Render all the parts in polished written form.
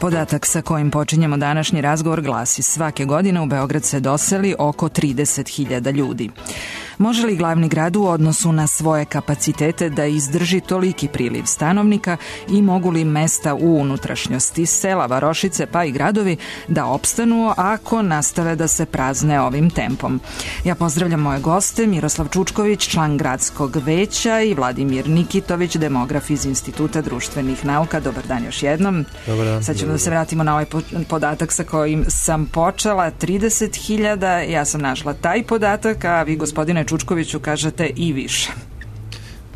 Podatak sa kojim počinjemo današnji razgovor glasi: svake godine u Beograd se doseli oko 30.000 ljudi. Može li glavni grad u odnosu na svoje kapacitete da izdrži toliki priliv stanovnika i mogu li mesta u unutrašnjosti, sela, varošice pa i gradovi da opstanu ako nastave da se prazne ovim tempom? Ja pozdravljam moje goste, Miroslav Čučković, član gradskog veća, i Vladimir Nikitović, demograf iz Instituta društvenih nauka. Dobar dan još jednom. Dobar dan. Sad ćemo da se vratimo na ovaj podatak sa kojim sam počela, 30.000, ja sam našla taj podatak, a vi, gospodine Čučkoviću, kažete i više.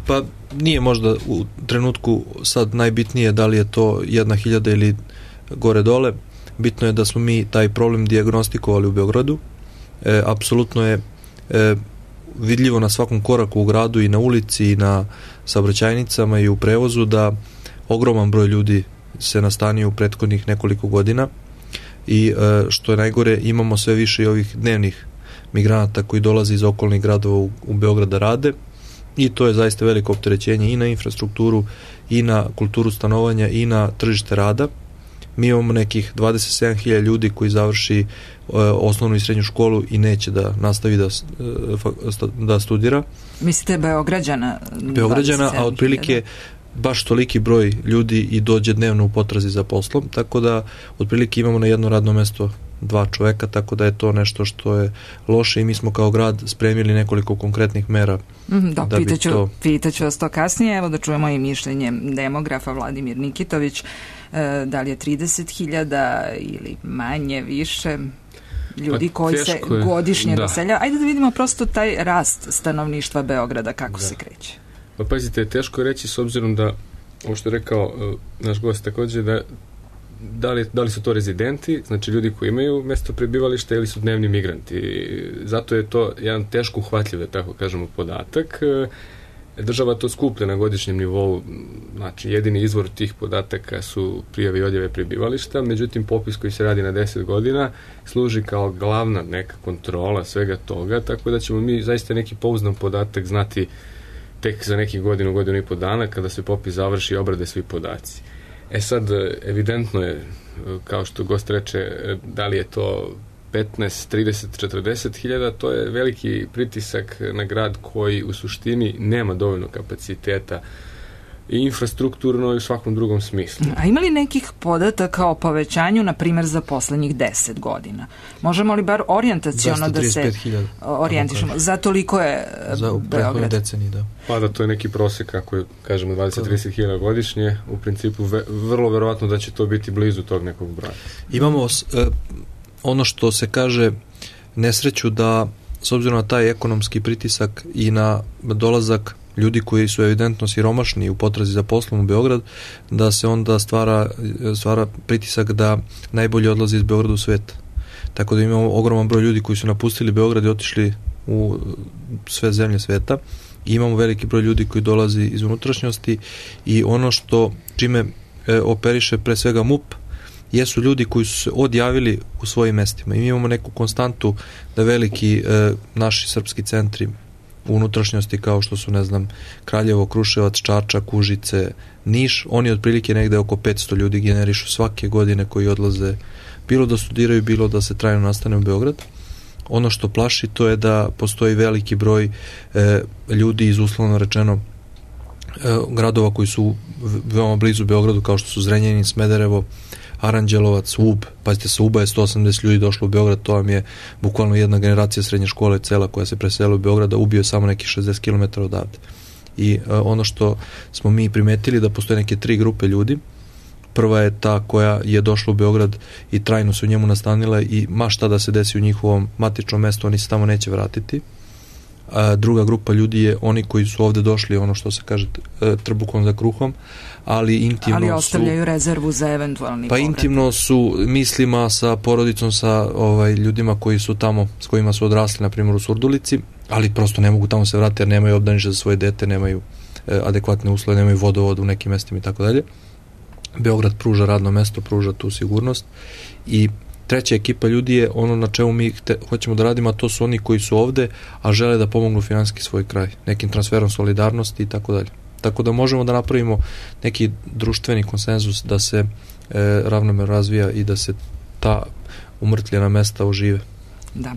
Pa nije možda u trenutku sad najbitnije da li je to 1.000 ili gore dole. Bitno je da smo mi taj problem dijagnostikovali u Beogradu. Apsolutno je vidljivo na svakom koraku u gradu i na ulici i na saobraćajnicama i u prevozu da ogroman broj ljudi se nastanio u prethodnih nekoliko godina i što je najgore, imamo sve više i ovih dnevnih migranata koji dolaze iz okolnih gradova u Beograd da rade, i to je zaista veliko opterećenje i na infrastrukturu i na kulturu stanovanja i na tržište rada. Mi imamo nekih 27.000 ljudi koji završi osnovnu i srednju školu i neće da nastavi da studira. Mislite Beograđana? Beograđana, a otprilike baš toliki broj ljudi i dođe dnevno u potrazi za poslom, tako da otprilike imamo na jedno radno mesto 2 čoveka, tako da je to nešto što je loše i mi smo kao grad spremili nekoliko konkretnih mera. Pitaću vas to kasnije, evo da čujemo i mišljenje demografa Vladimir Nikitović, da li je 30.000 ili manje, više ljudi koji se godišnje doseljaju. Ajde da vidimo prosto taj rast stanovništva Beograda, kako se kreće. Pa pazite, teško je reći s obzirom da, ovo što je rekao naš gost također, da li su to rezidenti, znači ljudi koji imaju mesto prebivališta, ili su dnevni migranti. Zato je to jedan teško uhvatljiv, da tako kažemo, podatak. Država to skuplja na godišnjem nivou, znači jedini izvor tih podataka su prijave i odjave prebivališta, međutim popis koji se radi na 10 godina služi kao glavna neka kontrola svega toga, tako da ćemo mi zaista neki pouzdan podatak znati tek za nekih godinu i po dana kada se popis završi i obrade svi podaci. Sad, evidentno je, kao što gost reče, da li je to 15, 30, 40.000, to je veliki pritisak na grad koji u suštini nema dovoljno kapaciteta i infrastrukturno i u svakom drugom smislu. A ima li nekih podataka o povećanju, na primjer, za poslednjih 10 godina? Možemo li bar orijentaciono da se orijentišemo? Za toliko je Beograd? Deceniji, da. Pa da to je neki prosek, ako kažemo 20-30.000 godišnje, u principu vrlo verovatno da će to biti blizu tog nekog broja. Imamo ono što se kaže nesreću da, s obzirom na taj ekonomski pritisak i na dolazak ljudi koji su evidentno siromašni u potrazi za poslom u Beograd, da se onda stvara pritisak da najbolje odlazi iz Beograda u svet. Tako da imamo ogroman broj ljudi koji su napustili Beograd i otišli u sve zemlje sveta. I imamo veliki broj ljudi koji dolazi iz unutrašnjosti, i ono što čime operiše pre svega MUP jesu ljudi koji su se odjavili u svojim mestima. I mi imamo neku konstantu da veliki naši srpski centri u unutrašnjosti, kao što su, Kraljevo, Kruševac, Čačak, Užice, Niš, oni otprilike negde oko 500 ljudi generišu svake godine koji odlaze, bilo da studiraju, bilo da se trajno nastane u Beograd. Ono što plaši, to je da postoji veliki broj ljudi iz, uslovno rečeno, gradova koji su veoma blizu Beogradu, kao što su Zrenjanin, Smederevo, Aranđelovac, Ub. Pazite, sa Uba je 180 ljudi došlo u Beograd, to vam je bukvalno jedna generacija srednje škole cela koja se presela u Beograd, a ubio je samo nekih 60 km odavde. I ono što smo mi primetili, da postoje neke 3 grupe ljudi. Prva je ta koja je došla u Beograd i trajno se u njemu nastanila, i ma šta da se desi u njihovom matičnom mestu, oni se tamo neće vratiti. Druga grupa ljudi je oni koji su ovde došli, ono što se kaže, trbukom za kruhom, ali intimno ali ostavljaju rezervu za eventualni povratak. Intimno su mislima sa porodicom, sa ljudima koji su tamo, s kojima su odrasli, na primjer u Surdulici, ali prosto ne mogu tamo se vratiti jer nemaju obdanište za svoje dete, nemaju adekvatne uslove, nemaju vodovod u nekim mestima i tako dalje. Beograd pruža radno mesto, pruža tu sigurnost. I treća ekipa ljudi je ono na čemu mi hoćemo da radimo, a to su oni koji su ovde, a žele da pomognu finansijski svoj kraj, nekim transferom solidarnosti i tako dalje. Tako da možemo da napravimo neki društveni konsenzus da se ravnomerno razvija i da se ta umrtljena mesta ožive. Da.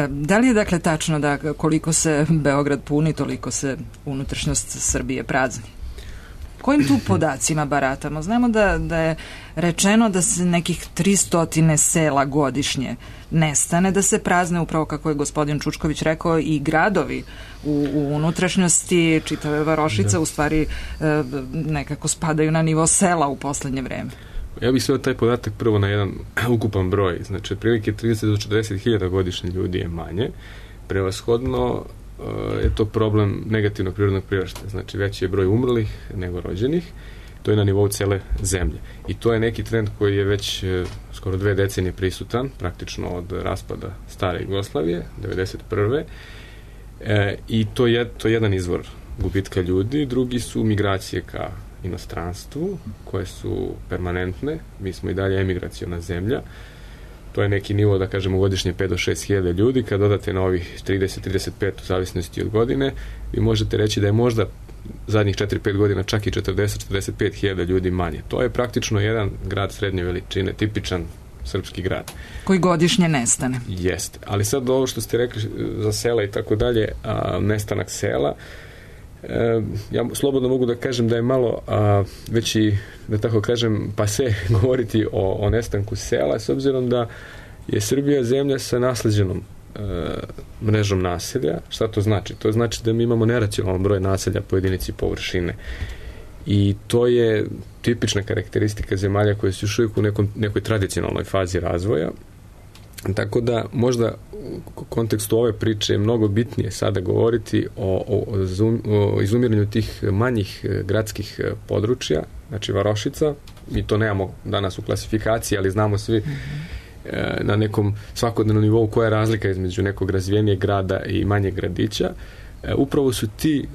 Da li je dakle tačno da koliko se Beograd puni, toliko se unutrašnjost Srbije prazni? Kojim tu podacima baratamo? Znamo da je rečeno da se nekih 300 sela godišnje nestane, da se prazne, upravo kako je gospodin Čučković rekao, i gradovi u unutrašnjosti, čitave varošice u stvari nekako spadaju na nivo sela u poslednje vreme. Ja bih sveo taj podatak prvo na jedan ukupan broj. Znači, otprilike 30 do 40 hiljada godišnje ljudi je manje. Prevashodno je to problem negativnog prirodnog priraštaja. Znači, veći je broj umrlih nego rođenih. To je na nivou cele zemlje. I to je neki trend koji je već skoro 2 decenije prisutan, praktično od raspada stare Jugoslavije, 1991. I to je jedan izvor gubitka ljudi. Drugi su migracije ka inostranstvu, koje su permanentne. Mi smo i dalje emigraciona zemlja. To je neki nivo, da kažemo, godišnje 5 do 6 hiljada ljudi. Kad dodate na ovih 30-35 u zavisnosti od godine, vi možete reći da je možda zadnjih 4-5 godina čak i 40-45 hiljada ljudi manje. To je praktično jedan grad srednje veličine, tipičan srpski grad. Koji godišnje nestane. Jeste. Ali sad ovo što ste rekli za sela i tako dalje, nestanak sela, ja slobodno mogu da kažem da je malo već i, da tako kažem, pase govoriti o nestanku sela, s obzirom da je Srbija zemlja sa nasleđenom mrežom naselja. Šta to znači? To znači da mi imamo neracionalan broj naselja po jedinici površine. I to je tipična karakteristika zemalja koje su još uvijek u nekoj tradicionalnoj fazi razvoja. Tako da možda u kontekstu ove priče je mnogo bitnije sada govoriti o izumiranju tih manjih gradskih područja, znači varošica. Mi to nemamo danas u klasifikaciji, ali znamo svi na nekom svakodnevnom nivou koja je razlika između nekog razvijenijeg grada i manjeg gradića. Upravo su ti,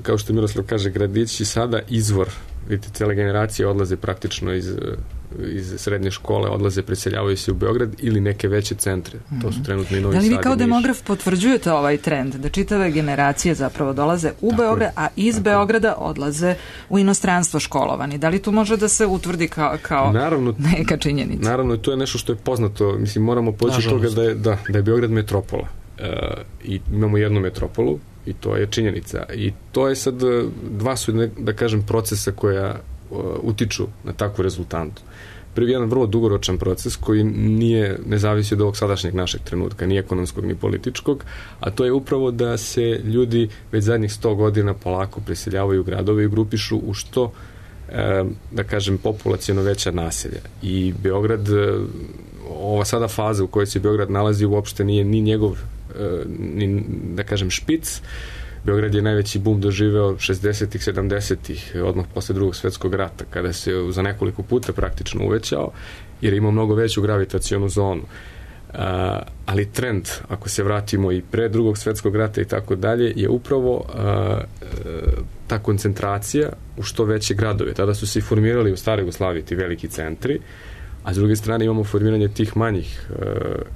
kao što Miroslav kaže, gradići sada izvor. Vidite, cele generacije odlaze praktično iz srednje škole, odlaze, preseljavaju se u Beograd ili neke veće centre. To su trenutno i Novi Sad. Da li vi kao demograf potvrđujete ovaj trend, da čitave generacije zapravo dolaze u Beograd, a iz Beograda odlaze u inostranstvo školovani? Da li tu može da se utvrdi kao neka činjenica? Naravno, to je nešto što je poznato. Mislim, moramo poći od toga da je Beograd metropola. I imamo jednu metropolu, i to je činjenica. I to je sad, dva su, da kažem, procesa koja utiču na takvu rezultantu. Prvi jedan vrlo dugoročan proces koji ne zavisi od ovog sadašnjeg našeg trenutka, ni ekonomskog, ni političkog, a to je upravo da se ljudi već zadnjih 100 godina polako preseljavaju u gradove i grupišu u što, da kažem, populaciono veća naselja. I Beograd, ova sada faza u kojoj se Beograd nalazi uopšte nije ni njegov, da kažem, špic. Beograd je najveći bum doživeo 60-ih, 70-ih, odmah posle Drugog svetskog rata, kada se za nekoliko puta praktično uvećao, jer je imao mnogo veću gravitacionu zonu. Ali trend, ako se vratimo i pre Drugog svetskog rata i tako dalje, je upravo ta koncentracija u što veće gradove. Tada su se i formirali u staroj Jugoslaviji ti veliki centri, a s druge strane imamo formiranje tih manjih,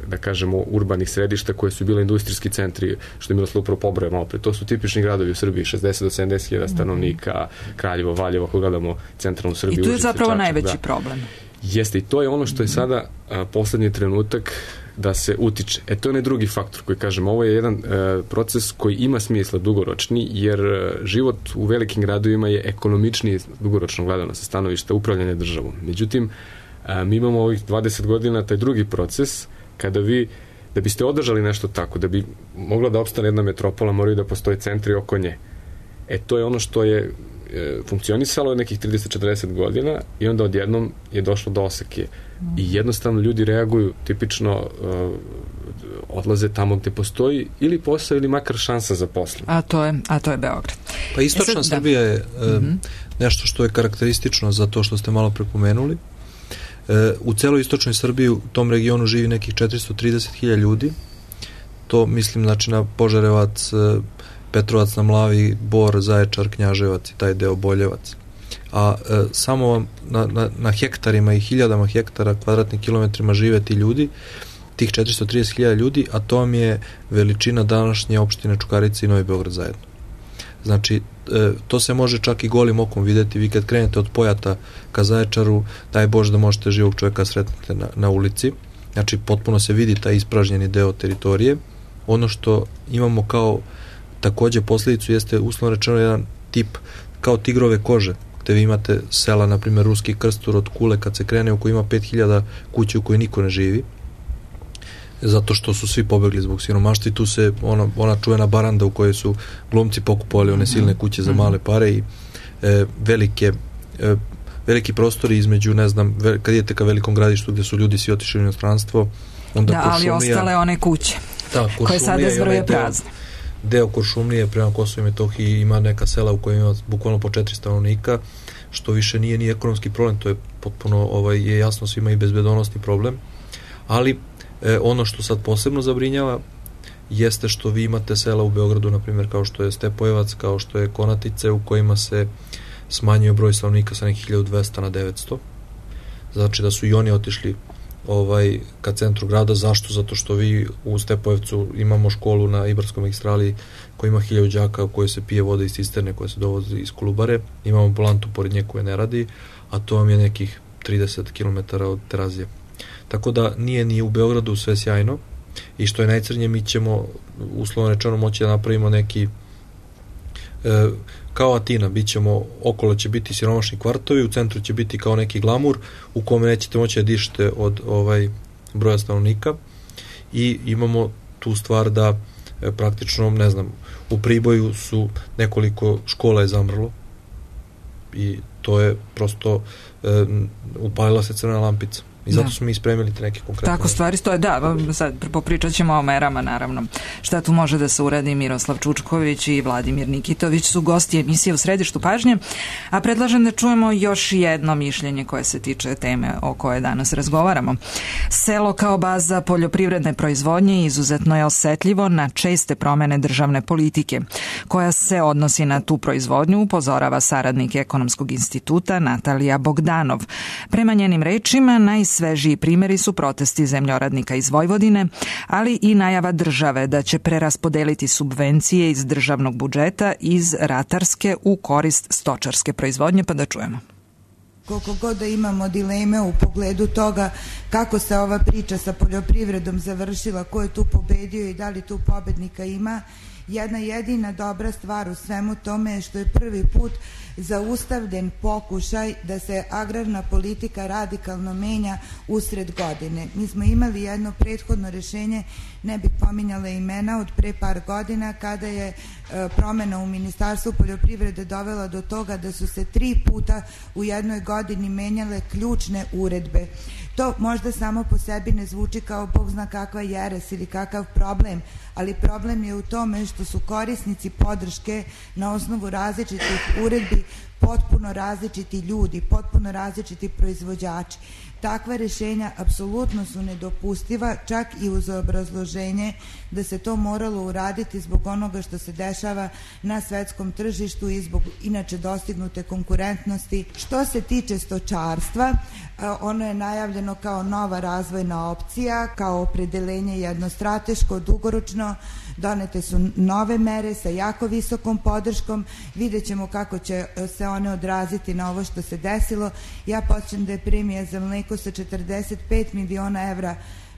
da kažemo, urbanih središta koje su bile industrijski centri, što je Miroslav upravo pobrojao malo pre. To su tipični gradovi u Srbiji, 60 do 70 hiljada stanovnika, Kraljevo, Valjevo, ako gledamo centralnu Srbiju. I tu je zapravo najveći problem. Jeste, i to je ono što je sada poslednji trenutak da se utiče. To je onaj drugi faktor koji kažem, ovo je jedan proces koji ima smisla dugoročni, jer život u velikim gradovima je ekonomičniji dugoročno gledano sa stanovišta upravljanja državom. Međutim, mi imamo ovih 20 godina taj drugi proces, kada vi, da biste održali nešto tako, da bi mogla da opstane jedna metropola, moraju da postoje centri oko nje. To je ono što je funkcionisalo nekih 30-40 godina i onda odjednom je došlo do oseke. I jednostavno ljudi reaguju, tipično odlaze tamo gde postoji ili posao ili makar šansa za posao. A to je Beograd. Pa istočna Srbija je nešto što je karakteristično za to što ste malo prepomenuli. U celoj istočnoj Srbiji u tom regionu živi nekih 430.000 ljudi. To mislim znači na Požarevac, Petrovac na Mlavi, Bor, Zaječar, Knjaževac i taj deo Boljevac. A samo na hektarima i hiljadama hektara, kvadratnim kilometrima žive ti ljudi, tih 430.000 ljudi, a to vam je veličina današnje opštine Čukarice i Novi Beograd zajedno. Znači, to se može čak i golim okom vidjeti. Vi kad krenete od Pojata ka Zaječaru, daj Bože da možete živog čovjeka sretnete na ulici. Znači, potpuno se vidi taj ispražnjeni deo teritorije. Ono što imamo kao takođe posljedicu jeste uslovno rečeno jedan tip kao tigrove kože, gde vi imate sela, na primjer Ruski Krstur od Kule kad se krene, u kojoj ima 5000 kuće u kojoj niko ne živi, zato što su svi pobegli zbog siromaštva i tu se ona čuvena baranda u kojoj su glumci pokupovali one silne kuće za male pare i veliki prostori između, ne znam, kad idete ka velikom gradištu gde su ljudi svi otišli u inostranstvo, onda da, ali ostale one kuće koje sada zvrje prazne. Deo Kuršumlije prema Kosovo i Metohiji ima neka sela u kojima ima bukvalno po 4 stanovnika, što više nije ni ekonomski problem, to je potpuno je jasno svima i bezbedonosni problem, ali ono što sad posebno zabrinjava jeste što vi imate sela u Beogradu, na primjer kao što je Stepojevac, kao što je Konatice, u kojima se smanjio broj stanovnika sa nekih 1200 na 900. Znači da su i oni otišli ka centru grada. Zašto? Zato što vi u Stepojevcu imamo školu na Ibarskoj magistrali koja ima 1000 đaka u kojoj se pije voda iz cisterne koja se dovozi iz Kolubare. Imamo ambulantu pored nje koja ne radi, a to vam je nekih 30 km od Terazije. Tako da nije ni u Beogradu sve sjajno i što je najcrnje, mi ćemo uslovno rečeno moći da napravimo neki kao Atina, okolo će biti siromašni kvartovi, u centru će biti kao neki glamur u kome nećete moći da dišete od broja stanovnika i imamo tu stvar da praktično, ne znam, u Priboju su nekoliko škola je zamrlo i to je prosto upalila se crvena lampica. I zato smo mi spremili te neke konkretne... Tako stvari stoje, da, sad popričat ćemo o merama, naravno. Šta tu može da se uradi? Miroslav Čučković i Vladimir Nikitović su gosti emisije U središtu pažnje, a predlažem da čujemo još jedno mišljenje koje se tiče teme o kojoj danas razgovaramo. Selo kao baza poljoprivredne proizvodnje izuzetno je osetljivo na česte promene državne politike, koja se odnosi na tu proizvodnju, upozorava saradnik Ekonomskog instituta Natalija Bogdanov. Prema njenim rečima, najsvežiji primjeri su protesti zemljoradnika iz Vojvodine, ali i najava države da će preraspodeliti subvencije iz državnog budžeta iz ratarske u korist stočarske proizvodnje, pa da čujemo. Koliko god da imamo dileme u pogledu toga kako se ova priča sa poljoprivredom završila, ko je tu pobedio i da li tu pobednika ima, jedna jedina dobra stvar u svemu tome je što je prvi put zaustavljen pokušaj da se agrarna politika radikalno menja usred godine. Mi smo imali jedno prethodno rešenje, ne bih pominjala imena, od pre par godina kada je promena u Ministarstvu poljoprivrede dovela do toga da su se 3 puta u jednoj godini menjale ključne uredbe. To možda samo po sebi ne zvuči kao Bog zna kakva jeres ili kakav problem, ali problem je u tome što su korisnici podrške na osnovu različitih uredbi potpuno različiti ljudi, potpuno različiti proizvođači. Takva rešenja apsolutno su nedopustiva, čak i uz obrazloženje da se to moralo uraditi zbog onoga što se dešava na svetskom tržištu i zbog inače dostignute konkurentnosti. Što se tiče stočarstva, ono je najavljeno kao nova razvojna opcija, kao opredelenje jedno strateško, dugoročno, donete su nove mere sa jako visokom podrškom, vidjet ćemo kako će se one odraziti na ovo što se desilo. Ja podsjećam da je premija za mleko sa 45 miliona evra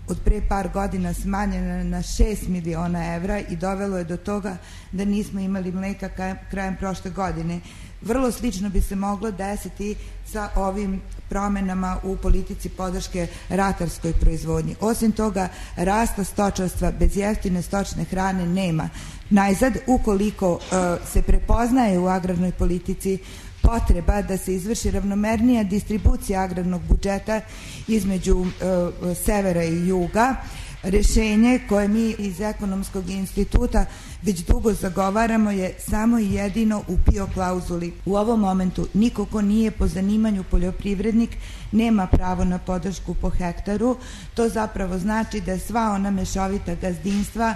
od pre par godina smanjena na 6 miliona evra i dovelo je do toga da nismo imali mleka krajem prošle godine. Vrlo slično bi se moglo desiti sa ovim promenama u politici podrške ratarskoj proizvodnji. Osim toga, rasta stočarstva bez jeftine stočne hrane nema. Najzad, ukoliko se prepoznaje u agrarnoj politici potreba da se izvrši ravnomernija distribucija agrarnog budžeta između severa i juga, rešenje koje mi iz Ekonomskog instituta već dugo zagovaramo je samo i jedino u PIO klauzuli. U ovom momentu niko ko nije po zanimanju poljoprivrednik nema pravo na podršku po hektaru. To zapravo znači da sva ona mešovita gazdinstva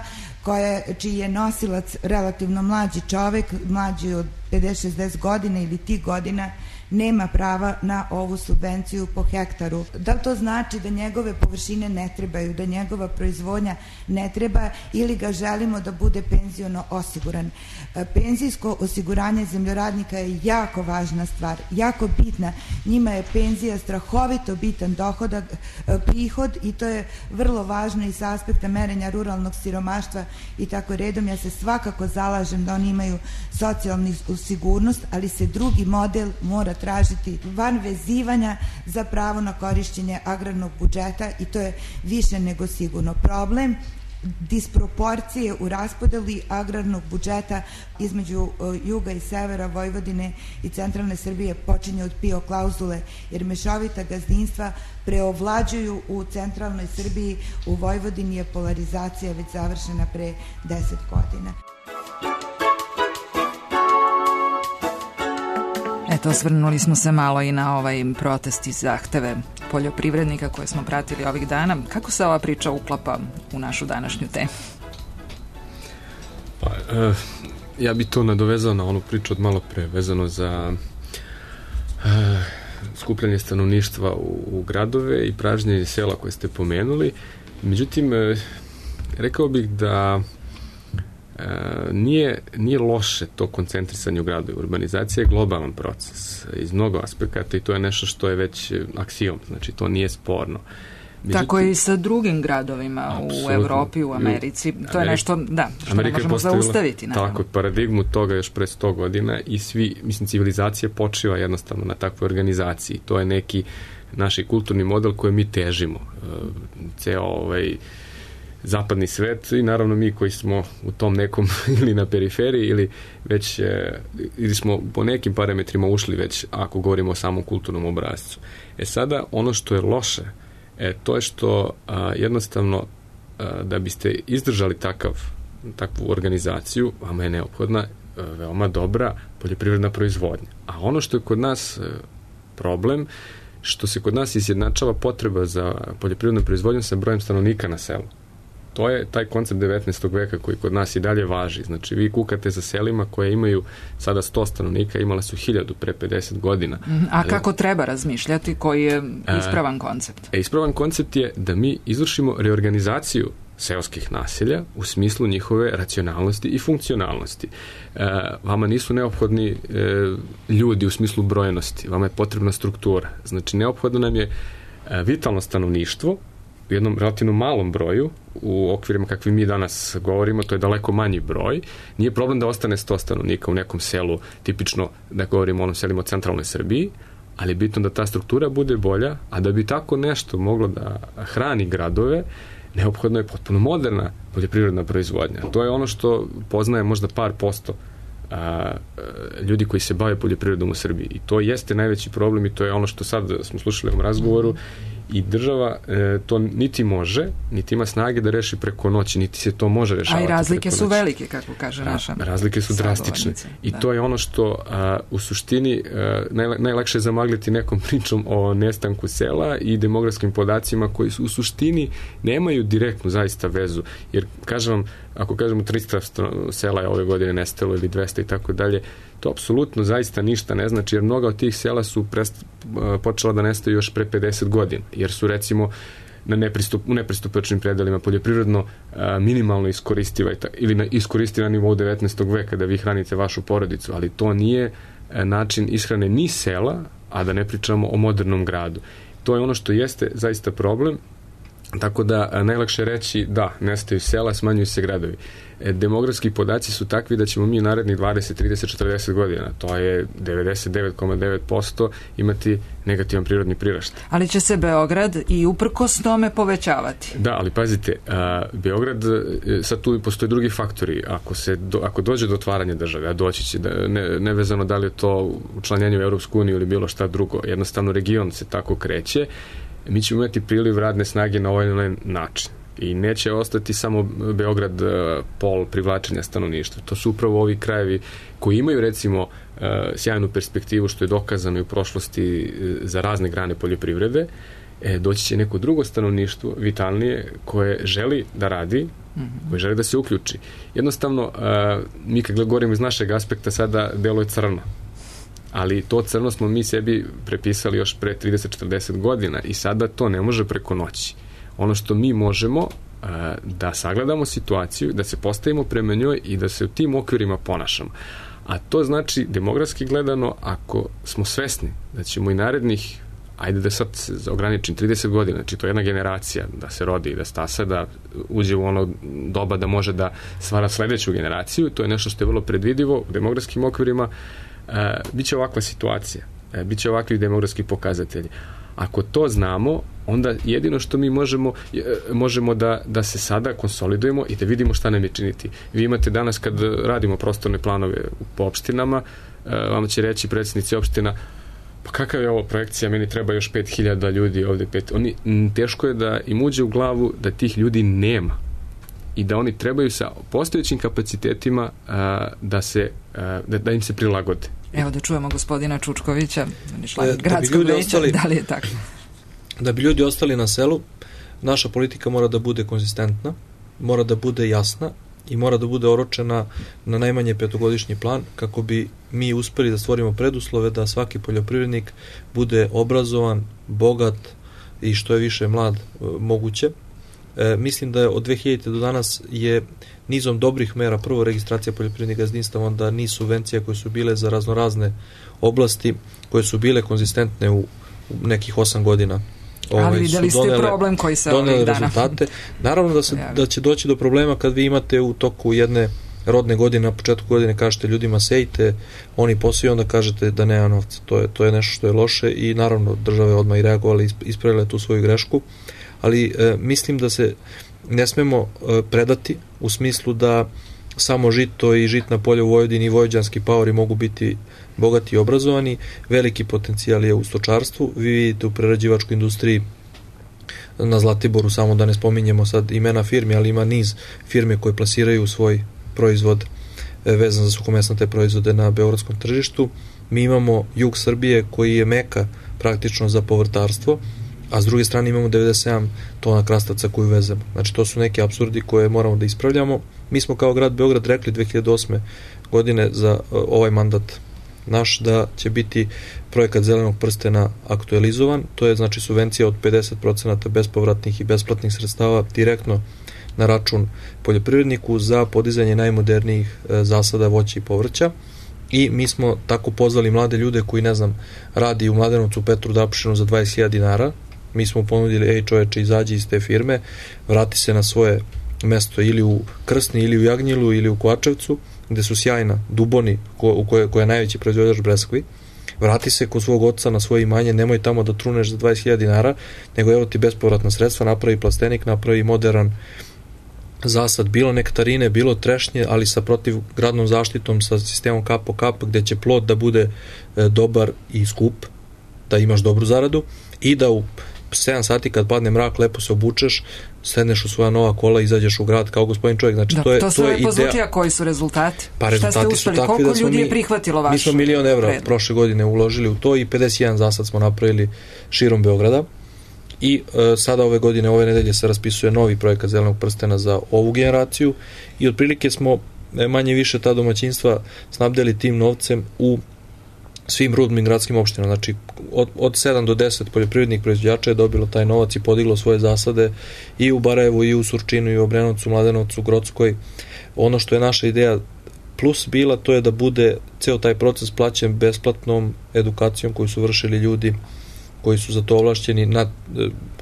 čiji je nosilac relativno mlađi čovek, mlađi od 50-60 godina ili tih godina, nema prava na ovu subvenciju po hektaru. Da li to znači da njegove površine ne trebaju, da njegova proizvodnja ne treba ili ga želimo da bude penziono osiguran? Penzijsko osiguranje zemljoradnika je jako važna stvar, jako bitna. Njima je penzija strahovito bitan dohodak, prihod, i to je vrlo važno i sa aspekta merenja ruralnog siromaštva i tako redom. Ja se svakako zalažem da oni imaju socijalnu sigurnost, ali se drugi model mora tražiti van vezivanja za pravo na korišćenje agrarnog budžeta, i to je više nego sigurno. Problem disproporcije u raspodeli agrarnog budžeta između juga i severa, Vojvodine i centralne Srbije počinje od PIO klauzule, jer mešovita gazdinstva preovlađuju u centralnoj Srbiji. U Vojvodini je polarizacija već završena pre 10 godina. Eto, osvrnuli smo se malo i na ovaj protest i zahteve poljoprivrednika koje smo pratili ovih dana. Kako se ova priča uklapa u našu današnju temu? Pa, ja bi to nadovezao na onu priču od malo pre, vezano za skupljanje stanovništva u gradove i pražnjenje sela koje ste pomenuli. Međutim, rekao bih da nije loše to koncentrisanje u gradu. Urbanizacija je globalan proces iz mnogo aspekata i to je nešto što je već aksijom, znači to nije sporno. Međutim, tako je i sa drugim gradovima u Evropi, u Americi. To je nešto, da, što Amerika ne možemo zaustaviti. Naravno. Tako, paradigmu toga još pre 100 godina i svi, mislim, civilizacija počiva jednostavno na takvoj organizaciji. To je neki naš kulturni model koji mi težimo. Ceo zapadni svet i naravno mi koji smo u tom nekom ili na periferiji ili već ili smo po nekim parametrima ušli već, ako govorimo o samom kulturnom obrascu. Sada ono što je loše to je što jednostavno da biste izdržali takvu organizaciju, vama je neophodna veoma dobra poljoprivredna proizvodnja. A ono što je kod nas problem, što se kod nas izjednačava potreba za poljoprivrednom proizvodnjom sa brojem stanovnika na selu. To je taj koncept 19. veka koji kod nas i dalje važi. Znači, vi kukate za selima koje imaju sada 100 stanovnika, imala su 1000 pre 50 godina. A kako treba razmišljati? Koji je ispravan koncept? Ispravan koncept je da mi izvršimo reorganizaciju seoskih naselja u smislu njihove racionalnosti i funkcionalnosti. Vama nisu neophodni ljudi u smislu brojenosti, vama je potrebna struktura. Znači, neophodno nam je vitalno stanovništvo u jednom relativno malom broju, u okvirima kakvi mi danas govorimo, to je daleko manji broj. Nije problem da ostane 100 stanovnika u nekom selu, tipično da govorimo o onom selima u centralnoj Srbiji, ali je bitno da ta struktura bude bolja, a da bi tako nešto moglo da hrani gradove, neophodno je potpuno moderna poljoprivredna proizvodnja. To je ono što poznaje možda par posto ljudi koji se bave poljoprivredom u Srbiji. I to jeste najveći problem i to je ono što sad smo slušali u ovom razgovoru i država to niti može, niti ima snage da reši preko noći, niti se to može rešavati. A i razlike su velike, kako kaže naša. Razlike su drastične. I to je ono što u suštini najlakše je zamagliti nekom pričom o nestanku sela i demografskim podacima koji su u suštini nemaju direktnu zaista vezu. Jer, kažem vam, ako kažemo 300 sela je ove godine nestalo ili 200 i tako dalje, to apsolutno zaista ništa ne znači, jer mnoga od tih sela su počela da nestaju još pre 50 godina, jer su recimo u nepristupačnim predelima poljoprivredno minimalno iskoristiva ili iskoristiva na nivou 19. veka da vi hranite vašu porodicu, ali to nije način ishrane ni sela, a da ne pričamo o modernom gradu. To je ono što jeste zaista problem. Tako da najlakše reći da, nestaju sela, smanjuju se gradovi. Demografski podaci su takvi da ćemo mi narednih 20, 30, 40 godina, to je 99,9% imati negativan prirodni priraštaj. Ali će se Beograd i uprkos tome povećavati. Da, ali pazite, Beograd, sad tu postoje drugi faktori. Ako dođe do otvaranja države, a doći će, nevezano da li je to učlanjenje u Europsku uniju ili bilo šta drugo, jednostavno region se tako kreće, mi ćemo imati priliv radne snage na ovaj način. I neće ostati samo Beograd pol privlačenja stanovništva. To su upravo ovi krajevi koji imaju recimo sjajnu perspektivu, što je dokazano i u prošlosti za razne grane poljoprivrede. Doći će neko drugo stanovništvo, vitalnije, koje želi da radi, koje želi da se uključi. Jednostavno, mi kad govorimo iz našeg aspekta sada deluje crno. ali to crno smo mi sebi prepisali još pre 30-40 godina i sada to ne može preko noći. Ono što mi možemo da sagledamo situaciju, da se postavimo prema njoj i da se u tim okvirima ponašamo. A to znači, demografski gledano, ako smo svesni da ćemo i narednih, ajde da sad se ograničim, 30 godina, znači to je jedna generacija da se rodi i da stasa, da uđe u ono doba da može da stvara sledeću generaciju, to je nešto što je vrlo predvidivo u demografskim okvirima, biće ovakva situacija, biće ovakvi demografski pokazatelji. Ako to znamo, onda jedino što mi možemo da se sada konsolidujemo i da vidimo šta nam je činiti. Vi imate danas kad radimo prostorne planove po opštinama, vam će reći predsjednici opština, pa kakva je ovo projekcija, meni treba još 5000 ljudi ovde. Teško je da im uđe u glavu da tih ljudi nema i da oni trebaju sa postojećim kapacitetima da im se prilagode. Evo da čujemo gospodina Čučkovića, član gradskog veća, da li je tako? Da bi ljudi ostali na selu, naša politika mora da bude konzistentna, mora da bude jasna i mora da bude oročena na najmanje 5-godišnji plan kako bi mi uspeli da stvorimo preduslove da svaki poljoprivrednik bude obrazovan, bogat i što je više mlad moguće. Mislim da od 2000. do danas je nizom dobrih mera, prvo registracija poljoprivrednih gazdinstava, onda niz subvencija koje su bile za raznorazne oblasti, koje su bile konzistentne u nekih 8 godina. Ali videli ste problem koji se ovih dana. Rezultate. Naravno da će doći do problema kad vi imate u toku jedne rodne godine, na početku godine kažete ljudima sejte, oni posiju, onda kažete da nema novca. To je nešto što je loše i naravno države odmah i reagovali, ispravile tu svoju grešku, ali mislim da se ne smemo predati u smislu da samo žito i žitna polja u Vojvodini i vojvođanski paori mogu biti bogati i obrazovani. Veliki potencijal je u stočarstvu. Vi vidite u prerađivačkoj industriji na Zlatiboru, samo da ne spominjemo sad imena firmi, ali ima niz firme koje plasiraju svoj proizvod vezan za suhomesnate proizvode na beogradskom tržištu. Mi imamo jug Srbije koji je meka praktično za povrtarstvo, a s druge strane imamo 97 tona krastavca koju vezemo. Znači to su neki apsurdi koje moramo da ispravljamo. Mi smo kao grad Beograd rekli 2008. godine za ovaj mandat naš da će biti projekat Zelenog prstena aktualizovan. To je znači subvencija od 50% bespovratnih i besplatnih sredstava direktno na račun poljoprivredniku za podizanje najmodernijih zasada voća i povrća. I mi smo tako pozvali mlade ljude koji, ne znam, radi u Mladenovcu Petru Dapšinu za 20.000 dinara. Mi smo ponudili, ej čoveče, izađi iz te firme, vrati se na svoje mesto ili u Krsni, ili u Jagnjilu, ili u Kovačevcu, gde su sjajna Duboni, koja je najveći proizvođač breskvi. Vrati se kod svog oca na svoje imanje, nemoj tamo da truneš za 20.000 dinara, nego evo ti bespovratna sredstva, napravi plastenik, napravi modern zasad, bilo nektarine, bilo trešnje, ali sa protivgradnom zaštitom, sa sistemom kap po kap, gde će plod da bude dobar i skup, da imaš dobru zaradu i da u 7 sati kad padne mrak lepo se obučeš, sedneš u svoja nova kola i izađeš u grad kao gospodin čovjek. Znači, to sve lepo zvuči, a koji su rezultati? Pa rezultati su takvi da smo ljudi je prihvatilo vaš? Mi smo 1 milion evra prošle godine uložili u to i 51 zasad smo napravili širom Beograda. I sada ove nedelje se raspisuje novi projekat Zelenog prstena za ovu generaciju i otprilike smo manje više ta domaćinstva snabdeli tim novcem u svim rudnim gradskim opštinama. Znači od 7 do 10 poljoprivrednih proizvođača je dobilo taj novac i podiglo svoje zasade i u Barajevu, i u Surčinu, i u Obrenovcu, Mladenovcu, Grockoj. Ono što je naša ideja plus bila, to je da bude ceo taj proces plaćen besplatnom edukacijom koju su vršili ljudi koji su za to ovlašćeni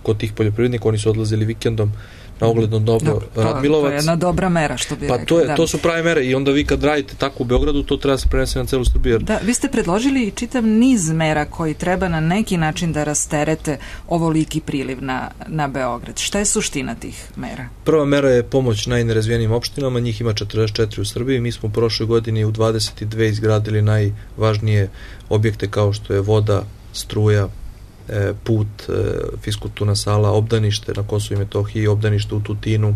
kod tih poljoprivrednika. Oni su odlazili vikendom na ogledno dobro Radmilovac. To je jedna dobra mera, što bi rekli. To su prave mere i onda vi kad radite tako u Beogradu, to treba se prenesti na celu Srbiju. Da, vi ste predložili čitav niz mera koji treba na neki način da rasterete ovoliki priliv na Beograd. Šta je suština tih mera? Prva mera je pomoć najnerazvijenijim opštinama, njih ima 44 u Srbiji. Mi smo u prošloj godini u 22 izgradili najvažnije objekte kao što je voda, struja, put, fiskulturna sala, obdanište na Kosovu i Metohiji, obdanište u Tutinu,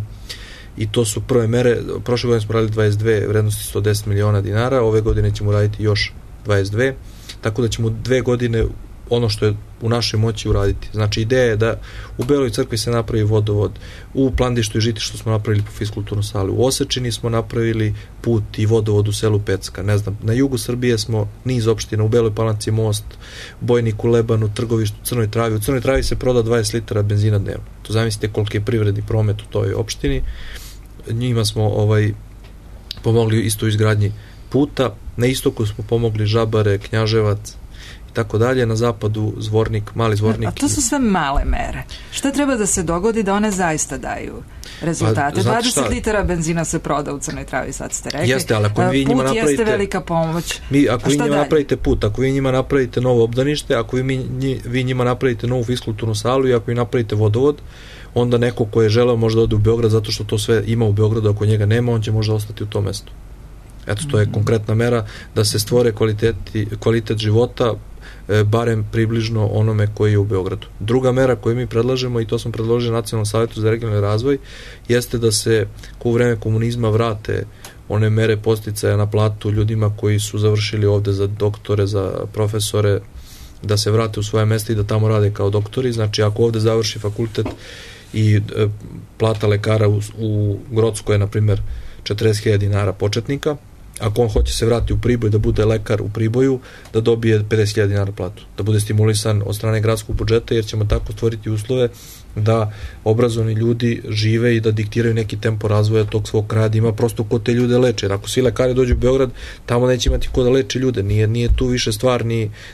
i to su prve mere. Prošle godine smo radili 22 vrednosti 110 miliona dinara, ove godine ćemo raditi još 22, tako da ćemo 2 godine ono što je u našoj moći uraditi. Znači, ideja je da u Beloj crkvi se napravi vodovod, u Plandištu i Žitištu smo napravili po fiskulturnu salu, u Osečini smo napravili put i vodovod u selu Pecka, ne znam, na jugu Srbije smo niz opština, u Beloj Palanci most, Bojniku, Lebanu, Trgovištu, Crnoj Travi. U Crnoj Travi se proda 20 litara benzina dnevno. To zamislite koliki je privredni promet u toj opštini. Njima smo pomogli isto u izgradnji puta, na istoku smo pomogli Žabare, Knjaževac i tako dalje, na zapadu Zvornik, Mali Zvornik. A to su sve male mere. Šta treba da se dogodi da one zaista daju rezultate? 20 litara benzina se proda u Crnoj Travi, sad ste rekli. Jeste, ali ako vi njima napravite... Put jeste velika pomoć. Ako vi njima napravite put, ako vi njima napravite novo obdanište, ako vi njima napravite novu fiskulturnu salu i ako vi napravite vodovod, onda neko ko je želeo možda ode u Beograd zato što to sve ima u Beogradu, ako njega nema, on će možda ostati u tom mestu. Eto, to je konkretna mera da se stvore kvalitet života, barem približno onome koji je u Beogradu. Druga mera koju mi predlažemo, i to smo predložili Nacionalnom savjetu za regionalni razvoj, jeste da se u vreme komunizma vrate one mere podsticaja na platu ljudima koji su završili ovde za doktore, za profesore, da se vrate u svoje mesta i da tamo rade kao doktori. Znači, ako ovde završi fakultet i plata lekara u Grocskoj je, na primjer, 40.000 dinara početnika, ako on hoće se vratiti u Priboj da bude lekar u Priboju, da dobije 50.000 dinara platu, da bude stimulisan od strane gradskog budžeta, jer ćemo tako stvoriti uslove da obrazovani ljudi žive i da diktiraju neki tempo razvoja tog svog kraja, da ima prosto ko te ljude leče. Jer ako svi lekari dođu u Beograd, tamo neće imati ko da leče ljude. Nije tu više stvar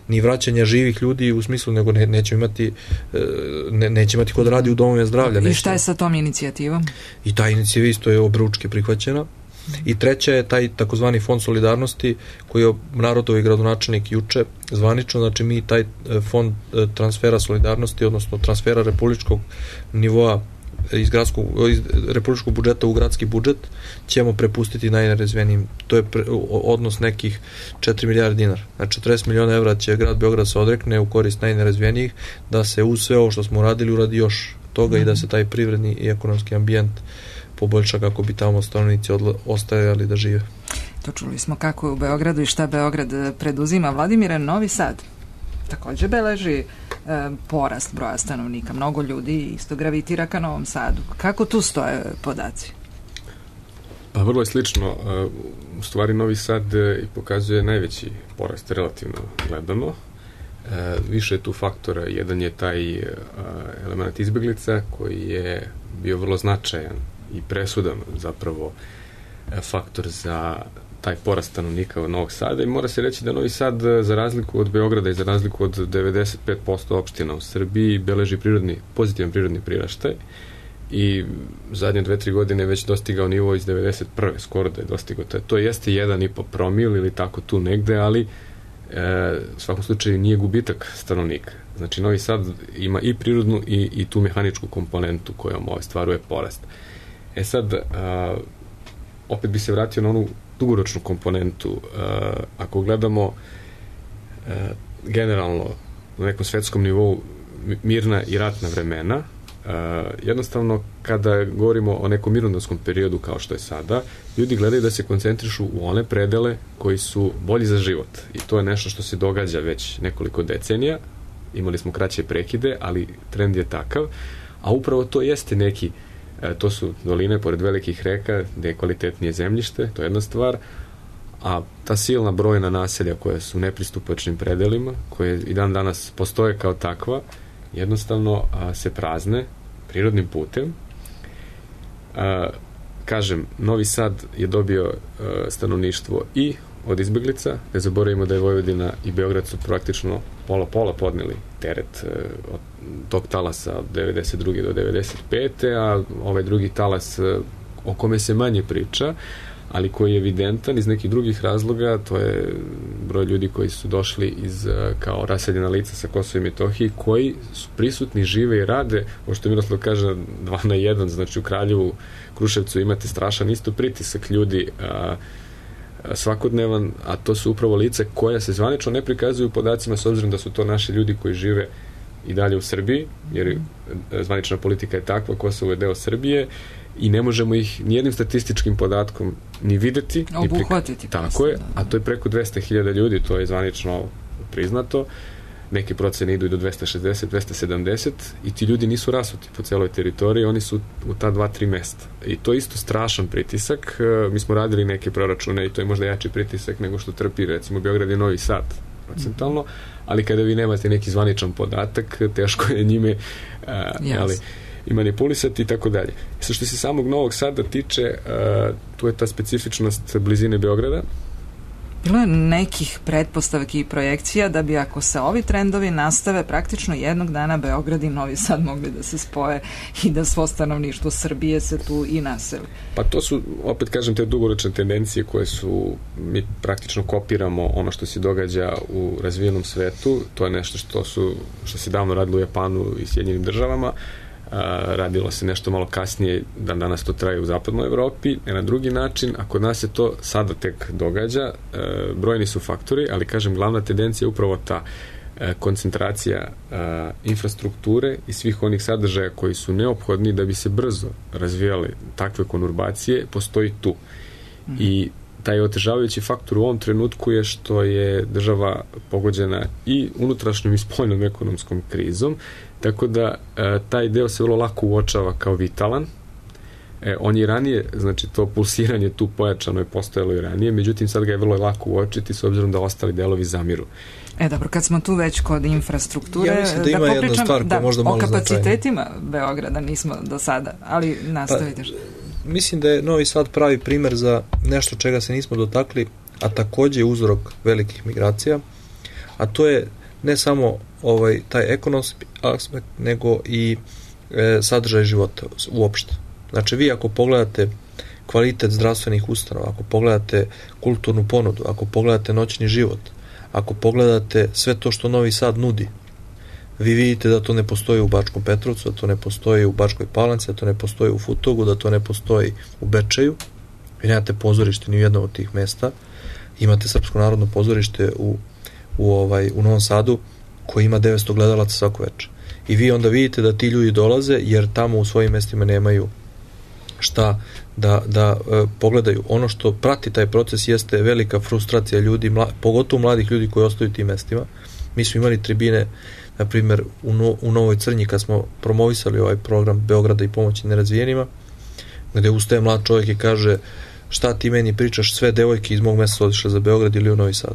ni vraćanja živih ljudi u smislu, nego neće imati ko da radi u domovima zdravlja. I šta je sa tom inicijativom? I ta inicijativa isto je obručke prihvaćena. I treća je taj takozvani fond solidarnosti koji je narodovi gradonačelnik juče zvanično. Znači, mi taj fond transfera solidarnosti, odnosno transfera republičkog nivoa iz republičkog budžeta u gradski budžet ćemo prepustiti najnerazvijenijim. To je odnos nekih 4 milijarde dinara. Znači, 40 miliona evra će grad Beograd se odrekne u korist najnerazvijenijih, da se uz sve ovo što smo uradili uradi još toga i da se taj privredni i ekonomski ambijent poboljša kako bi tamo stanovnici ostajali da žive. To čuli smo kako je u Beogradu i šta Beograd preduzima. Vladimire, Novi Sad takođe beleži porast broja stanovnika. Mnogo ljudi isto gravitira ka Novom Sadu. Kako tu stoje podaci? Pa vrlo je slično. U stvari Novi Sad pokazuje najveći porast relativno gledano. Više je tu faktora. Jedan je taj element izbeglica koji je bio vrlo značajan i presudan zapravo faktor za taj porast stanovnika od Novog Sada, i mora se reći da Novi Sad, za razliku od Beograda i za razliku od 95% opština u Srbiji, beleži pozitivan prirodni priraštaj i zadnje 2-3 godine već dostigao nivo iz 91. skoro da je dostigao. To jeste 1,5 promil ili tako tu negde, ali u svakom slučaju nije gubitak stanovnika. Znači, Novi Sad ima i prirodnu i tu mehaničku komponentu kojom stvaruje porast. Sad, opet bi se vratio na onu dugoročnu komponentu. Ako gledamo generalno na nekom svetskom nivou mirna i ratna vremena, jednostavno kada govorimo o nekom mirnodopskom periodu kao što je sada, ljudi gledaju da se koncentrišu u one predele koji su bolji za život. I to je nešto što se događa već nekoliko decenija. Imali smo kraće prekide, ali trend je takav. A upravo to jeste neki, to su doline pored velikih reka gde je kvalitetnije zemljište, to je jedna stvar, a ta silna brojna naselja koja su u nepristupačnim predelima, koje i dan danas postoje kao takva, jednostavno se prazne prirodnim putem. Kažem, Novi Sad je dobio stanovništvo i od izbeglica, ne zaboravimo da je Vojvodina i Beograd su praktično pola podneli teret od tog talasa od 92. do 95. a ovaj drugi talas o kome se manje priča, ali koji je evidentan iz nekih drugih razloga, to je broj ljudi koji su došli kao raseljena lica sa Kosova i Metohije, koji su prisutni, žive i rade, ovo što Miroslav kaže 2 na 1, znači u Kraljevu, Kruševcu imate strašan isto pritisak ljudi svakodnevan, a to su upravo lice koja se zvanično ne prikazuju podacima, s obzirom da su to naši ljudi koji žive i dalje u Srbiji, jer zvanična politika je takva, Kosovo je deo Srbije i ne možemo ih nijednim statističkim podatkom ni videti, obuhvatiti. Tako je, a to je preko 200.000 ljudi, to je zvanično priznato. neke procene idu i do 260, 270 i ti ljudi nisu rasuti po celoj teritoriji, oni su u ta 2-3 mesta. I to je isto strašan pritisak. Mi smo radili neke proračune i to je možda jači pritisak nego što trpi recimo Beograd i Novi Sad procentalno, ali kada vi nemate neki zvaničan podatak, teško je njime i manipulisati i tako dalje. Što se samog Novog Sada tiče, tu je ta specifičnost blizine Beograda. Bilo je nekih pretpostavki i projekcija da bi, ako se ovi trendovi nastave, praktično jednog dana Beograd i Novi Sad mogli da se spoje i da svo stanovništvo Srbije se tu i naseli. Pa to su, opet kažem, te dugoročne tendencije koje su, mi praktično kopiramo ono što se događa u razvijenom svetu. To je nešto što se davno radilo u Japanu i Sjedinjenim državama. Radilo se nešto malo kasnije, danas to traje u zapadnoj Evropi, na drugi način, a kod nas se to sada tek događa. Brojni su faktori, ali kažem, glavna tendencija je upravo ta koncentracija infrastrukture i svih onih sadržaja koji su neophodni da bi se brzo razvijale takve konurbacije, postoji tu. I taj otežavajući faktor u ovom trenutku je što je država pogođena i unutrašnjom i spoljnom ekonomskom krizom, tako da taj deo se vrlo lako uočava kao vitalan. On je ranije, znači to pulsiranje tu pojačano je postojalo i ranije, međutim sad ga je vrlo lako uočiti s obzirom da ostali delovi zamiru. Dobro, kad smo tu već kod infrastrukture, ja mislim da ima jedna stvar koja možda malo o kapacitetima Beograda nismo do sada, ali nastavite. Mislim da je Novi Sad pravi primer za nešto čega se nismo dotakli, a takođe je uzrok velikih migracija, a to je ne samo taj ekonomski aspekt, nego i sadržaj života uopšte. Znači, vi ako pogledate kvalitet zdravstvenih ustanova, ako pogledate kulturnu ponudu, ako pogledate noćni život, ako pogledate sve to što Novi Sad nudi, vi vidite da to ne postoji u Bačkom Petrovcu, da to ne postoji u Bačkoj Palanci, da to ne postoji u Futogu, da to ne postoji u Bečeju. Vi nemate pozorište ni u jednom od tih mesta. Imate Srpsko narodno pozorište u Novom Sadu koji ima 900 gledalaca svako večer. I vi onda vidite da ti ljudi dolaze jer tamo u svojim mestima nemaju šta da pogledaju. Ono što prati taj proces jeste velika frustracija ljudi, pogotovo mladih ljudi koji ostaju u tim mestima. Mi smo imali tribine, na primjer u Novoj Crnji, kad smo promovisali ovaj program Beograda i pomoći nerazvijenima, gde ustaje mlad čovjek i kaže: šta ti meni pričaš, sve devojke iz mog mesta su otišle za Beograd ili u Novi Sad.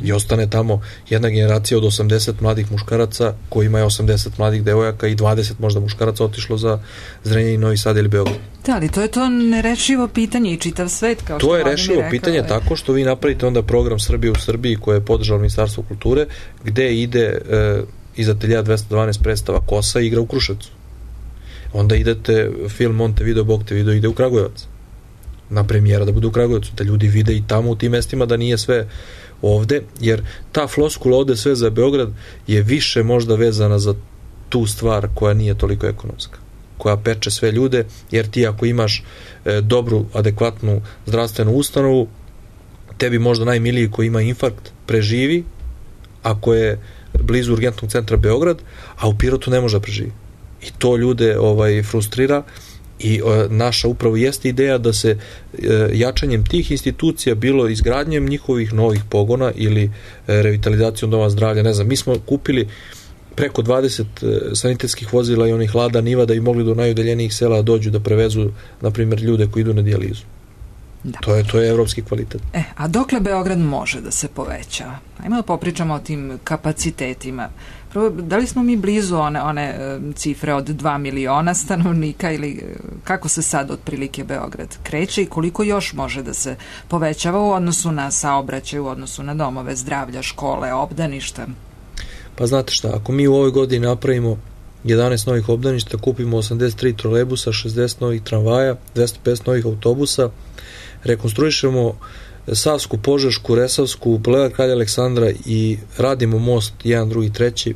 I ostane tamo jedna generacija od 80 mladih muškaraca kojima je 80 mladih devojaka i 20 možda muškaraca otišlo za Zrenjanin, Novi Sad ili Beograd. Da, ali to je to nerešivo pitanje i čitav svet, kao što to je rešivo pitanje tako što vi napravite onda program Srbije u Srbiji koje je podržalo Ministarstvo kulture, gde ide iz ateljea 212 predstava Kosa i igra u Kruševcu. Onda idete film Montevideo, Bog te video, ide u Kragujevac na premijera da bude u Kragujevcu, da ljudi vide i tamo u tim mestima da nije sve ovde, jer ta floskula ovde sve za Beograd je više možda vezana za tu stvar koja nije toliko ekonomska, koja peče sve ljude, jer ti ako imaš dobru, adekvatnu zdravstvenu ustanovu, tebi možda najmiliji koji ima infarkt preživi ako je blizu urgentnog centra Beograd, a u Pirotu ne može da preživi. I to ljude frustrira. I naša upravo jeste ideja da se jačanjem tih institucija, bilo izgradnjem njihovih novih pogona ili revitalizacijom doma zdravlja, ne znam, mi smo kupili preko 20 sanitetskih vozila i onih Lada Niva da bi mogli do najudaljenijih sela dođu da prevezu, na primjer, ljude koji idu na dijalizu. Da. To je evropski kvalitet. A dokle Beograd može da se poveća? Ajmo da popričamo o tim kapacitetima. Prvo, da li smo mi blizu one cifre od 2 miliona stanovnika ili kako se sad otprilike Beograd kreće i koliko još može da se povećava u odnosu na saobraćaj, u odnosu na domove zdravlja, škole, obdaništa? Pa znate šta, ako mi u ovoj godini napravimo 11 novih obdaništa, kupimo 83 trolejbusa, 60 novih tramvaja, 250 novih autobusa, rekonstruišemo Savsku, Požešku, Resavsku, Bulevard Kralja Aleksandra i radimo most 1, 2, 3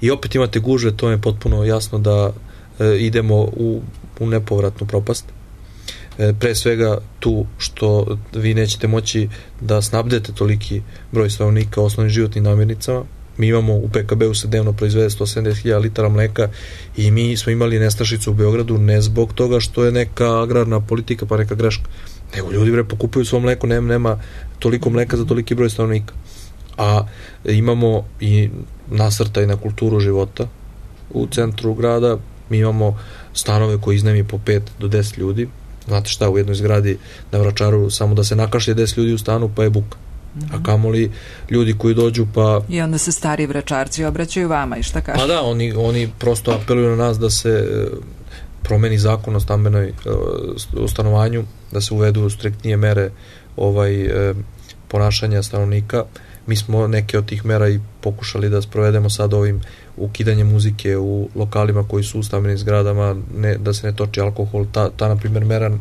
i opet imate gužve, to je potpuno jasno da idemo u nepovratnu propast. Pre svega tu što vi nećete moći da snabdete toliki broj stanovnika osnovnim životnim namirnicama. Mi imamo u PKB-u se dnevno proizvede 170.000 litara mleka i mi smo imali nestašicu u Beogradu ne zbog toga što je neka agrarna politika pa neka greška, nego ljudi pokupuju svo mleko, nema toliko mleka za toliki broj stanovnika. a imamo i nasrtaj na kulturu života u centru grada. Mi imamo stanove koji iznajmi po 5 do 10 ljudi. Znate šta, u jednoj zgradi na Vračaru samo da se nakašlje 10 ljudi u stanu pa je buka. A kamoli ljudi koji dođu pa... I onda se stari Vračarci obraćaju vama i šta kažu? Pa da, oni prosto apeluju na nas da se promeni zakon o stambenoj stanovanju, da se uvedu striktnije mere ponašanja stanovnika. Mi smo neke od tih mera i pokušali da sprovedemo sad ovim ukidanjem muzike u lokalima koji su u stambenim zgradama, da se ne toči alkohol. Ta na primjer, mera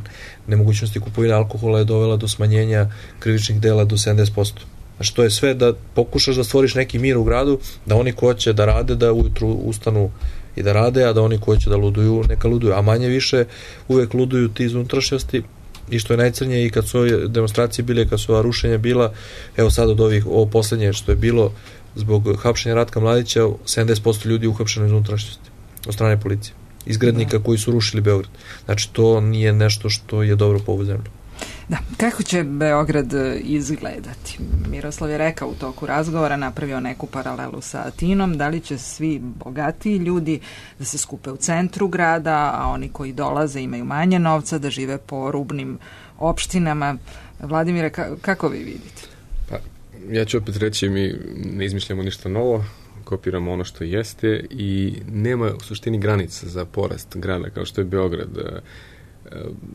nemogućnosti kupovine alkohola je dovela do smanjenja krivičnih dela do 70%. Znači, to je sve da pokušaš da stvoriš neki mir u gradu, da oni ko će da rade, da ujutru ustanu i da rade, a da oni ko će da luduju, neka luduju. A manje više uvek luduju ti iz unutrašnjosti, i što je najcrnije i kad su ove demonstracije bile, kad su ova rušenja bila, evo sad od ovo poslednje što je bilo zbog hapšenja Ratka Mladića, 70% ljudi uhapšeno iz unutrašnjosti od strane policije, izgrednika koji su rušili Beograd. Znači, to nije nešto što je dobro po ovu zemlju. Da, kako će Beograd izgledati? Miroslav je rekao u toku razgovora, napravio neku paralelu sa Atinom, da li će svi bogatiji ljudi da se skupe u centru grada, a oni koji dolaze imaju manje novca, da žive po rubnim opštinama. Vladimire, kako vi vidite? Pa, ja ću opet reći, mi ne izmišljamo ništa novo, kopiramo ono što jeste i nema u suštini granica za porast grada kao što je Beograd.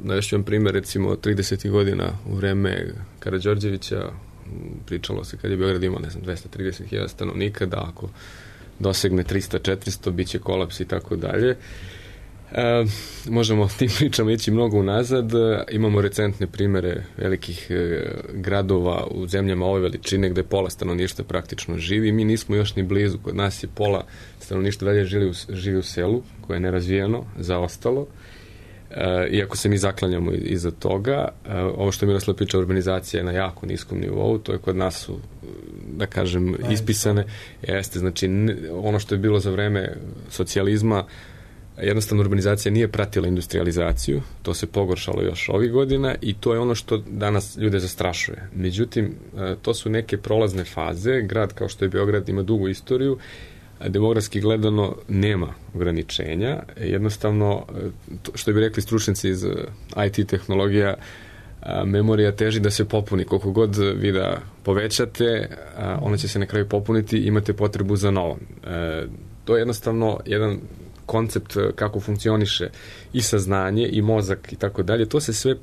Navešću vam primjer, recimo 30. godina u vreme Karađorđevića pričalo se kad je Beograd imao 230.000 stanovnika, da ako dosegne 300-400 bit će kolaps i tako dalje. Možemo tim pričama ići mnogo unazad. Imamo recentne primere velikih gradova u zemljama ove veličine gde pola stanovništva praktično živi. Mi nismo još ni blizu. Kod nas je pola stanovništva dalje živi u selu, koje je nerazvijeno, zaostalo. Iako se mi zaklanjamo iza toga, ovo što je Miroslav priča, urbanizacija je na jako niskom nivou, to je kod nas su, da kažem, ispisane. Jeste, znači, ono što je bilo za vreme socijalizma, jednostavno urbanizacija nije pratila industrializaciju, to se pogoršalo još ovih godina i to je ono što danas ljude zastrašuje. Međutim, to su neke prolazne faze, grad kao što je Beograd ima dugu istoriju, demografski gledano nema ograničenja, jednostavno, što bi rekli stručnici iz IT tehnologija, memorija teži da se popuni. Koliko god vi da povećate, ona će se na kraju popuniti i imate potrebu za novom. To je jednostavno jedan koncept kako funkcioniše i saznanje i mozak i tako dalje, to se sve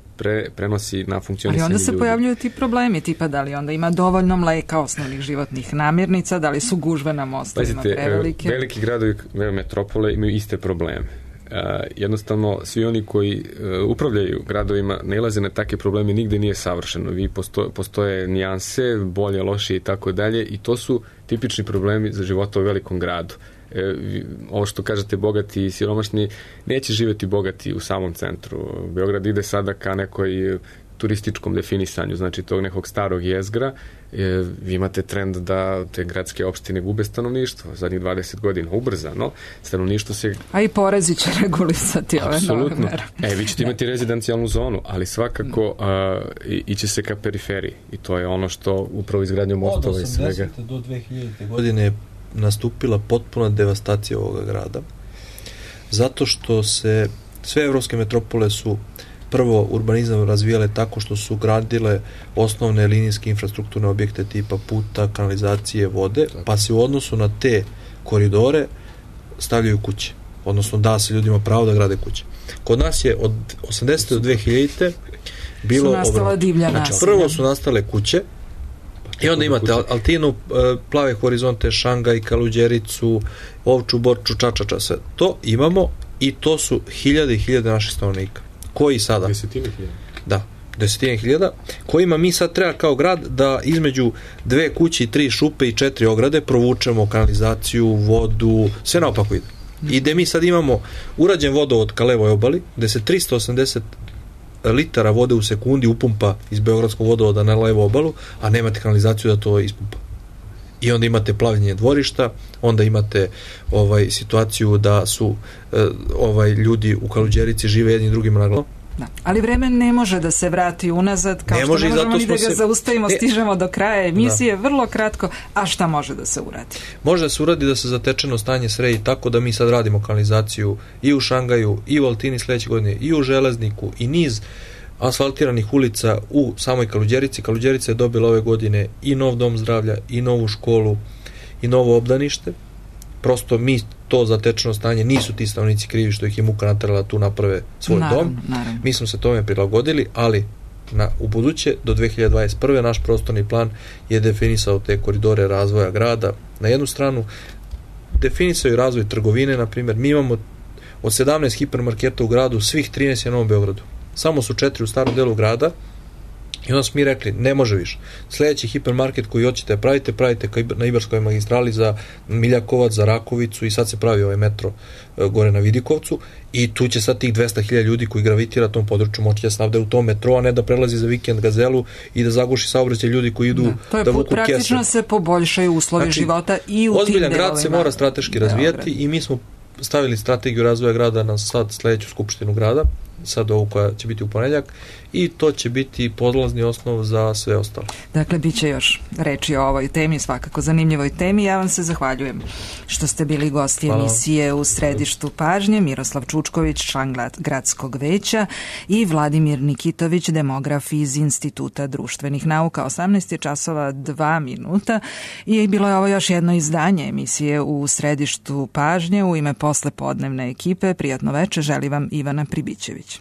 prenosi na funkcionisanje ljudi. Ali onda se pojavljuju ti problemi, tipa da li onda ima dovoljno mleka, osnovnih životnih namirnica, da li su gužve na mostovima prevelike? Veliki gradovi, metropole imaju iste probleme. Jednostavno, svi oni koji upravljaju gradovima nailaze na takve probleme, nigde nije savršeno. Postoje nijanse, bolje, lošije i tako dalje i to su tipični problemi za života u velikom gradu. Ovo što kažete bogati i siromašni, neće živjeti bogati u samom centru. Beograd ide sada ka nekoj turističkom definisanju, znači tog nekog starog jezgra. Vi imate trend da te gradske opštine gube stanovništvo zadnjih 20 godina, ubrzano. Stanovništvo se... A i porezi će regulisati ove nove mere. Vi ćete imati rezidencijalnu zonu, ali svakako iće se ka periferiji i to je ono što upravo izgradnjom mostova i svega. Od 80. do 2000. godine je nastupila potpuna devastacija ovoga grada, zato što se sve evropske metropole su prvo urbanizam razvijale tako što su gradile osnovne linijske infrastrukturne objekte tipa puta, kanalizacije, vode, pa se u odnosu na te koridore stavljaju kuće, odnosno da se ljudima pravo da grade kuće. Kod nas je od 80. do 2000. bilo prvo su nastale kuće i onda imate Altinu, Plave horizonte, Šangaj, Kaluđericu, Ovču, Borču, Čačača, sve to imamo i to su hiljade i hiljade naših stanovnika. Koji sada? Desetine hiljada, kojima mi sad treba kao grad da između 2 kuće i 3 šupe i 4 ograde provučemo kanalizaciju, vodu, sve naopako ide. I gde mi sad imamo urađen vodovod ka levoj obali, gde se 380 litara vode u sekundi upumpa iz beogradskog vodovoda na levu obalu, a nemate kanalizaciju da to ispumpa. I onda imate plavljenje dvorišta, onda imate situaciju da su ljudi u Kaluđerici žive jedni drugima na glavu, Da. Ali vreme ne može da se vrati unazad, kao što ne možemo ni da ga zaustavimo, stižemo do kraja emisije, vrlo kratko, a šta može da se uradi? Može da se uradi da se zatečeno stanje sredi tako da mi sad radimo kanalizaciju i u Šangaju, i u Altini sledeće godine, i u Železniku, i niz asfaltiranih ulica u samoj Kaluđerici. Kaluđerica je dobila ove godine i nov dom zdravlja, i novu školu, i novo obdanište. Prosto mi to zatečeno stanje, nisu ti stanovnici krivi što ih je muka naterala tu naprave svoj dom. Naravno. Mi smo se tome prilagodili, ali u buduće, do 2021. naš prostorni plan je definisao te koridore razvoja grada. Na jednu stranu definisao i razvoj trgovine, na primjer, mi imamo od 17 hipermarketa u gradu, svih 13 je na Novom Beogradu. Samo su 4 u starom delu grada i onda smo mi rekli, ne može više. Sljedeći hipermarket koji hoćete pravite na Ibarskoj magistrali za Miljakovac, za Rakovicu i sad se pravi ovaj metro gore na Vidikovcu i tu će sad tih 200.000 ljudi koji gravitira tom području moći da snabde u tom metro, a ne da prelazi za vikend Gazelu i da zaguši saobraćaj ljudi koji idu da vuku kese. Praktično se poboljšaju uslovi života i u tim ozbiljan grad se mora strateški razvijati i mi smo stavili strategiju razvoja grada na sad sledeću skupštinu grada, sad ovu koja će biti u ponedeljak, i to će biti podlazni osnov za sve ostalo. Dakle, bit će još reči o ovoj temi, svakako zanimljivoj temi. Ja vam se zahvaljujem što ste bili gosti emisije U središtu pažnje. Miroslav Čučković, član gradskog veća, i Vladimir Nikitović, demograf iz Instituta društvenih nauka. 18:02 i bilo je ovo još jedno izdanje emisije U središtu pažnje. U ime poslepodnevne ekipe prijatno veče želi vam Ivana Pribićević.